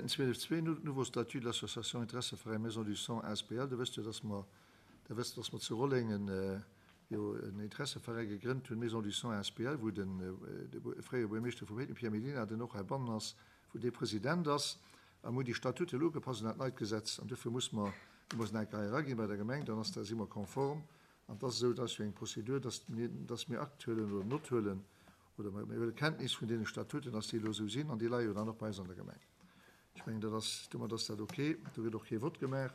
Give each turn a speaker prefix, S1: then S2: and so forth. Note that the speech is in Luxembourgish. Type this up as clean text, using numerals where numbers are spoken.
S1: 12.2, Nouveau statut de l'association Interesseveräin Maison du Sang asbl. Der wësst jo, dass mer, Der wësst, dass mer zu Rolleng en, jo, en Interesseveräi gegrënnt hunn, Maison du Sang asbl, wou den, de fréiere Buergermeeschter vu Péiteng, Pierre Mellina, den och heibannen ass, wou dee President ass. A mir hunn déi Statuten elo ugepasst un dat neit Gesetz. An duerfir muss mer, déi mussen eng Kéier eraginn bei der Gemeng, dann ass da, si mer konform. An et ass esou, dat ass jo eng Prozedur, dass mir, dass mir Akt huelen oder Nott huelen, oder mir huele Kenntnis vun deene Statuten, dass déi elo esou sinn, an déi leie jo dann och bei eis an der Gemeng. Ech mengen, dat ass, domat ass dat ok. Do gëtt och kee Vott gemaach.